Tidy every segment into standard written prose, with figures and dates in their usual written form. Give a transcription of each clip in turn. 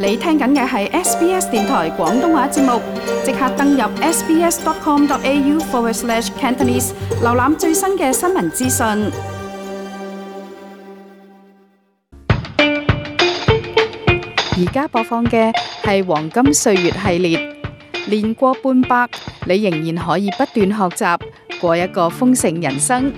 你聽緊嘅係 SBS 電台廣東話節目，即刻登入 sbs.com.au/Cantonese 瀏覽最新嘅新聞資訊。而家播放嘅係黃金歲月系列，年過半百，你仍然可以不斷學習，過一個豐盛人生。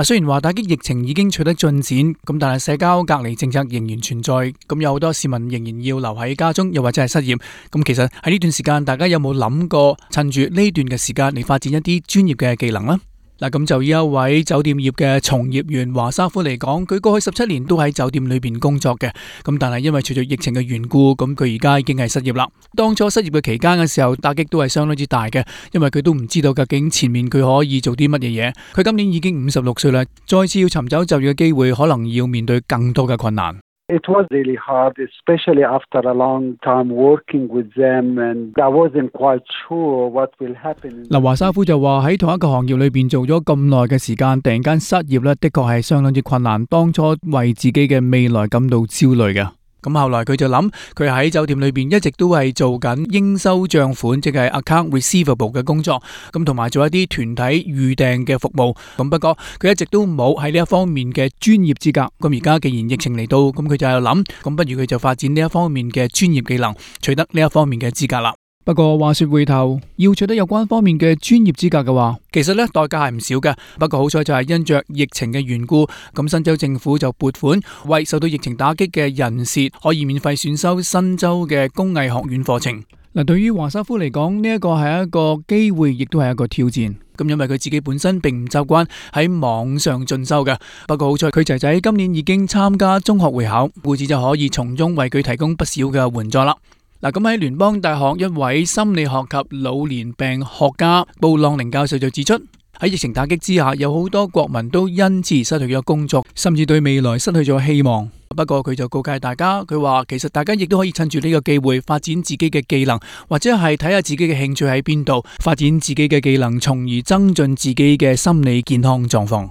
雖然話打擊疫情已經取得進展，咁但係社交隔離政策仍然存在，咁有好多市民仍然要留喺家中，又或者係失業。咁其實喺呢段時間，大家有冇諗過趁住呢段嘅時間嚟發展一啲專業嘅技能呢？咁就以一位酒店業嘅從業員華沙夫嚟講，佢過去17年都喺酒店裏邊工作嘅，咁但係因為隨住疫情嘅緣故，咁佢而家已經係失業啦。當初失業嘅期間嘅時候，打擊都係相當之大嘅，因為佢都唔知道究竟前面佢可以做啲乜嘢嘢。佢今年已經56歲啦，再次要尋找就業嘅機會，可能要面對更多嘅困難。It was really hard, especially after a long time working with them, and I wasn't quite sure what will happen. 華沙夫就話喺同一個行業裏邊做咗咁耐嘅時間，突然間失業咧，的確係相當之困難。當初為自己嘅未來感到焦慮嘅。咁後來佢就諗，佢喺酒店裏邊一直都係做緊應收賬款，即係 account receivable 嘅工作，咁同埋做一啲團體預訂嘅服務。咁不過佢一直都冇喺呢一方面嘅專業資格。咁而家既然疫情嚟到，咁佢就喺度諗，咁不如佢就發展呢一方面嘅專業技能，取得呢一方面嘅資格啦。不過話說回頭，要取得有關方面嘅專業資格嘅話，其實呢代價係唔少嘅。不過好彩就係因着疫情嘅緣故，咁新州政府就撥款為受到疫情打擊嘅人士可以免費選修新州嘅工藝學院課程。對於華沙夫嚟講，呢一個係一個機會，亦都係一個挑戰。咁因為佢自己本身並唔習慣喺網上進修嘅。不過好彩佢仔仔今年已經參加中學會考，故此就可以從中為佢提供不少嘅援助啦。咁喺聯邦大學一位心理學及老年病學家布朗寧教授就指出，喺疫情打擊之下，有好多國民都因此失去咗工作，甚至對未來失去咗希望。不過佢就告誡大家，佢話其實大家亦都可以趁住呢個機會發展自己嘅技能，或者係睇下自己嘅興趣喺邊度，發展自己嘅技能，從而增進自己嘅心理健康狀況。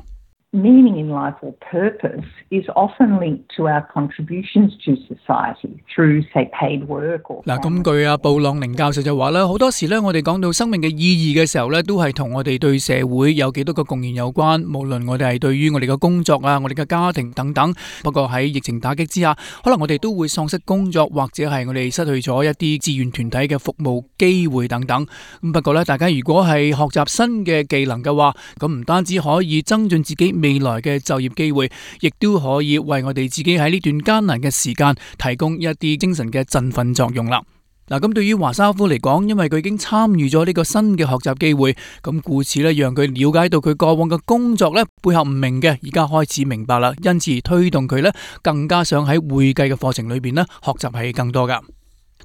Meaning in life or purpose is often linked to our contributions to society through, say, paid work or... 咁據布朗寧教授就話啦，好多時我哋講到生命嘅意義嘅時候都係同我哋對社會有幾多個貢獻有關，無論我哋係對於我哋嘅工作啊、我哋嘅家庭等等。不過喺疫情打擊之下，可能我哋都會喪失工作，或者係我哋失去咗一啲志願團體嘅服務機會等等。不過大家如果係學習新嘅技能嘅話，咁唔單止可以增進自己未來嘅就業機會，亦都可以為我哋自己喺呢段艱難嘅時間提供一啲精神嘅振奮作用啦。咁對於華沙夫嚟講，因為佢已經參與咗呢個新嘅學習機會，咁故此讓佢了解到佢過往嘅工作背後唔明嘅，而家開始明白啦，因此而推動佢更加想喺會計嘅課程裏邊學習係更多噶。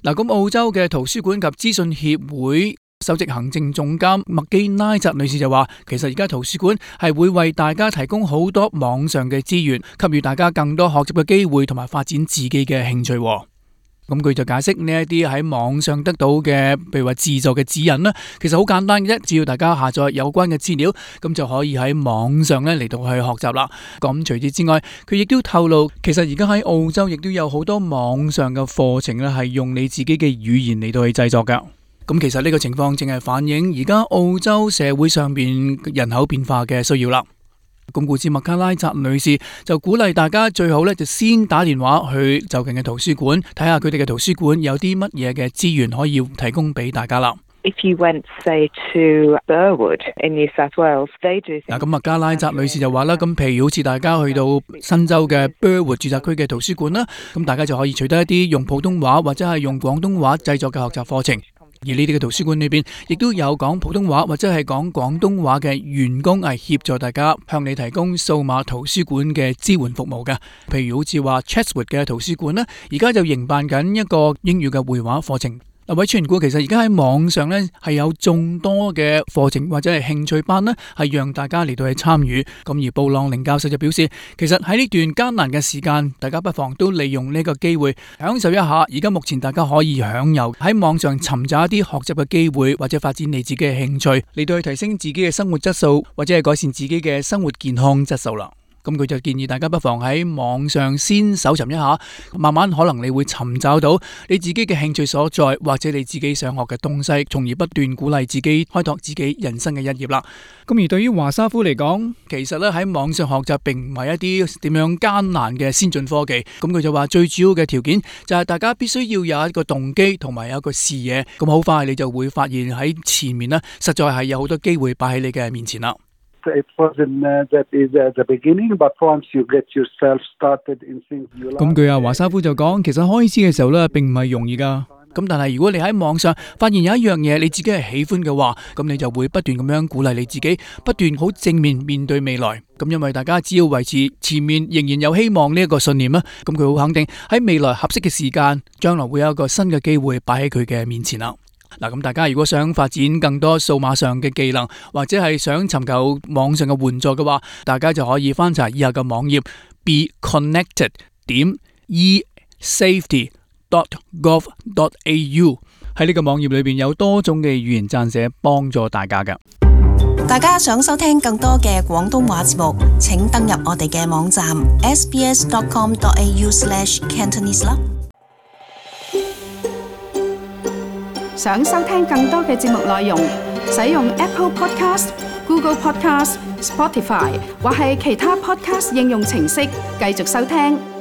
咁澳洲嘅圖書館及資訊協會首席行政總監麥基拉澤女士就話，其實而家圖書館係會為大家提供好多網上嘅資源，給予大家更多學習嘅機會，同埋發展自己嘅興趣。咁佢就解釋呢一啲喺網上得到嘅，譬如話自助嘅指引啦，其實好簡單嘅啫，只要大家下載有關嘅資料，咁就可以喺網上嚟到去學習啦。咁除此之外，佢亦都透露，其實而家喺澳洲亦都有好多網上嘅課程係用你自己嘅語言嚟到去製作噶。咁其實呢個情況正係反映而家澳洲社會上邊人口變化嘅需要啦。咁故此麥卡拉澤女士就鼓勵大家最好就先打電話去就近嘅圖書館，睇下佢哋嘅圖書館有啲乜嘢嘅資源可以提供俾大家啦。If you went, say, to Burwood in New South Wales, they do. 咁麥卡拉澤女士就話啦，咁譬如好似大家去到新州嘅 Burwood 住宅區嘅圖書館啦，咁大家就可以取得一啲用普通話或者係用廣東話製作嘅學習課程。而呢啲嘅圖書館裏邊，亦都有講普通話或者係講廣東話嘅員工係協助大家向你提供數碼圖書館嘅支援服務嘅。譬如好似話 Chatswood 嘅圖書館呢，而家就營辦緊一個英語嘅繪畫課程。位傳顧其實而家喺網上係有眾多嘅課程或者係興趣班係讓大家嚟到去參與。咁而布朗寧教授就表示，其實喺呢段艱難嘅時間，大家不妨都利用呢個機會享受一下而家目前大家可以享有喺網上尋找一啲學習嘅機會，或者發展你自己嘅興趣嚟到去提升自己嘅生活質素，或者係改善自己嘅生活健康質素啦。咁佢就建議大家不妨喺網上先搜尋一下，慢慢可能你會尋找到你自己嘅興趣所在，或者你自己想學嘅東西，從而不斷鼓勵自己開拓自己人生嘅一頁啦。咁而對於華沙夫嚟講，其實咧喺網上學習並唔係一啲點樣艱難嘅先進科技。咁佢就話最主要嘅條件就係大家必須要有一個動機同埋有一個視野，咁好快你就會發現喺前面呢，實在係有好多機會擺喺你嘅面前啦。It wasn't that easy at the beginning, but once you get yourself started in things you like. 咁佢華沙夫就講，其實開始嘅時候咧並唔係容易噶。咁但係如果你喺網上發現有一樣嘢你自己係喜歡嘅話，咁你就會不斷咁樣鼓勵你自己，不斷好正面面對未來。咁因為大家只要維持前面仍然有希望呢一個信念啦，咁佢好肯定喺未來合適嘅時間，將來會有一個新嘅機會擺喺佢嘅面前啦。嗱，咁大家如果想發展更多數碼上嘅技能，或者係想尋求網上嘅援助嘅話，大家就可以翻查以下嘅網頁 beconnected.esafety.gov.au。 喺呢個網頁裏邊有多種嘅語言撰寫幫助大家嘅。大家想收聽更多嘅廣東話節目，請登入我哋嘅網站 sbs.com.au/cantonese 啦。想收聽更多嘅節目內容，使用 Apple Podcast、Google Podcast、Spotify 或係其他 Podcast 應用程式繼續收聽。